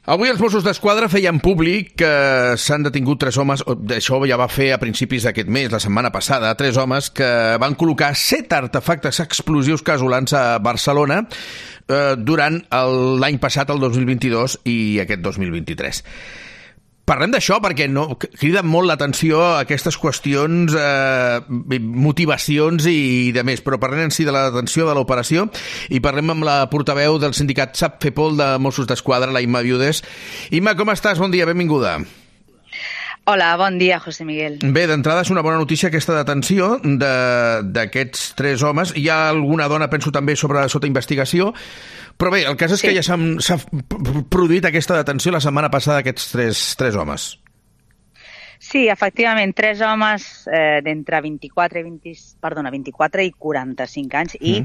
Avui els Mossos d'Esquadra feien públic que s'han detingut 3 homes, això ja va fer a principis d'aquest mes, la setmana passada, 3 homes que van col·locar 7 artefactes explosius casolans a Barcelona durant l'any passat, el 2022, i aquest 2023. Parlem d'això perquè criden molt l'atenció aquestes qüestions, motivacions i de més, però parlem en si de l'atenció de l'operació i parlem amb la portaveu del sindicat SAPFEPOL de Mossos d'Esquadra, la Imma Viudes. Imma, com estàs? Bon dia, benvinguda. Hola, bon dia, José Miguel. Bé, d'entrada és una bona notícia aquesta detenció d'aquests 3 homes. Hi ha alguna dona, penso, també sota investigació. Però bé, el cas és que ja s'ha produït aquesta detenció la setmana passada d'aquests 3 homes. Sí, efectivament, 3 homes d'entre 24 i 45 anys i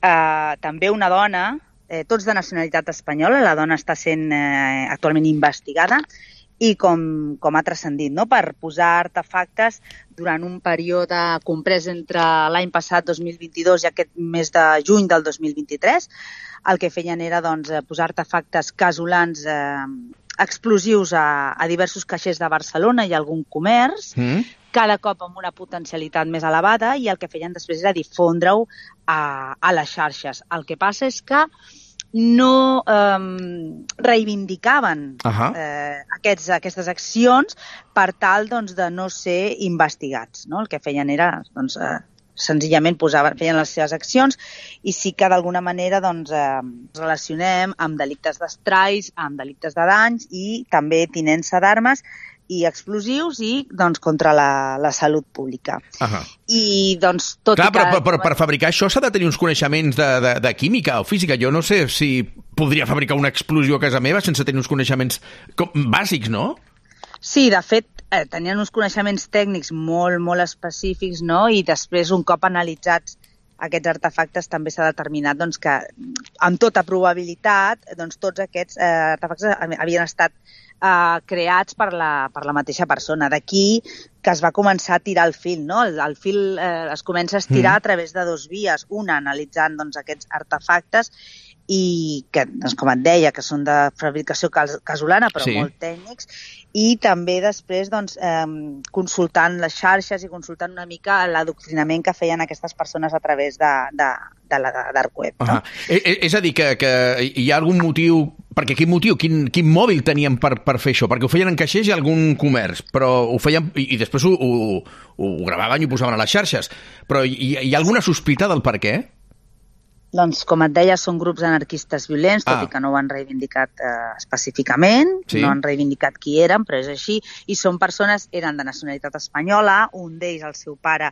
també una dona, tots de nacionalitat espanyola. La dona està sent actualment investigada i com ha transcendit, no? Per posar artefactes durant un període comprès entre l'any passat, 2022, i aquest mes de juny del 2023. El que feien era posar artefactes casolans explosius a diversos caixers de Barcelona i algun comerç, cada cop amb una potencialitat més elevada, i el que feien després era difondre-ho a les xarxes. El que passa és que no reivindicaven aquestes accions per tal de no ser investigats, no? El que feien era senzillament feien les seves accions, i sí que d'alguna manera relacionem amb delictes d'estralls, amb delictes de danys i també tinença d'armes i explosius i contra la salut pública. I tot clar, però per fabricar això s'ha de tenir uns coneixements de química o física. Jo no sé si podria fabricar una explosió a casa meva sense tenir uns coneixements bàsics, no? Sí, de fet, tenien uns coneixements tècnics molt, molt específics, no? I després, un cop analitzats aquests artefactes, també s'ha determinat que, amb tota probabilitat, tots aquests artefactes havien estat creats per la mateixa persona. D'aquí que es va començar a tirar el fil, no? El fil es comença a estirar a través de 2 vies. Una, analitzant aquests artefactes, i que, com et deia, que són de fabricació casolana, però molt tècnics, i també després consultant les xarxes i consultant una mica l'adoctrinament que feien aquestes persones a través de la dark web. No? És a dir, que hi ha algun motiu... Perquè quin motiu? Quin mòbil tenien per fer això? Perquè ho feien en caixers i algun comerç, però ho feien i després ho gravaven i ho posaven a les xarxes. Però hi ha alguna sospita del per què? Doncs, com et deia, són grups anarquistes violents, tot i que no ho han reivindicat específicament, no han reivindicat qui eren, però és així, i són persones, eren de nacionalitat espanyola, un d'ells, el seu pare,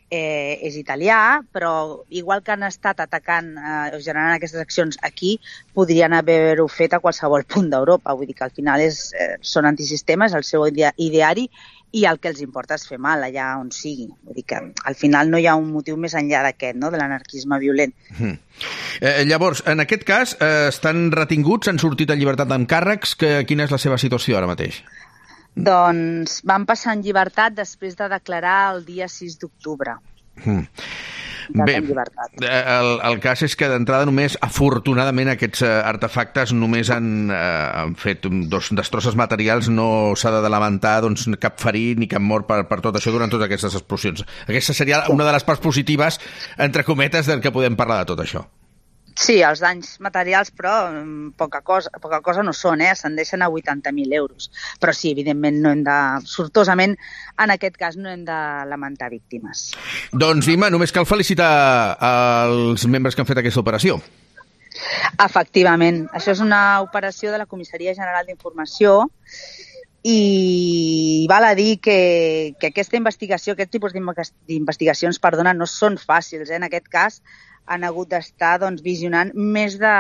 és italià, però igual que han estat atacant o generant aquestes accions aquí, podrien haver-ho fet a qualsevol punt d'Europa. Vull dir que al final són antisistemes, el seu ideari, i el que els importa és fer mal allà on sigui. Vull dir que al final no hi ha un motiu més enllà d'aquest, no? De l'anarquisme violent. Llavors, en aquest cas, estan retinguts, han sortit en llibertat amb càrrecs. Quina és la seva situació ara mateix? Doncs van passar en llibertat després de declarar el dia 6 d'octubre. Bé, el cas és que d'entrada només, afortunadament, aquests artefactes només han fet destrosses materials, no s'ha de lamentar cap ferit ni cap mort per tot això durant totes aquestes explosions. Aquesta seria una de les parts positives, entre cometes, del que podem parlar de tot això. Sí, els danys materials, però poca cosa no són, ascendeixen a 80.000 euros. Però sí, evidentment, sortosament, en aquest cas no hem de lamentar víctimes. Doncs, Imma, només cal felicitar els membres que han fet aquesta operació. Efectivament. Això és una operació de la Comissaria General d'Informació i val a dir que aquesta investigació, aquest tipus d'investigacions, no són fàcils. En aquest cas, han hagut d'estar visionant més de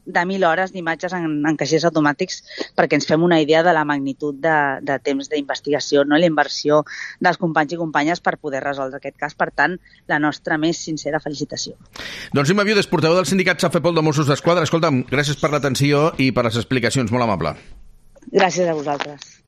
1.000 hores d'imatges en caixers automàtics perquè ens fem una idea de la magnitud de temps d'investigació, no? La inversió dels companys i companyes per poder resoldre aquest cas. Per tant, la nostra més sincera felicitació. Doncs Imma Viudes, portaveu del sindicat SAPFEPOL de Mossos d'Esquadra. Escolta'm, gràcies per l'atenció i per les explicacions, molt amable. Gràcies a vosaltres.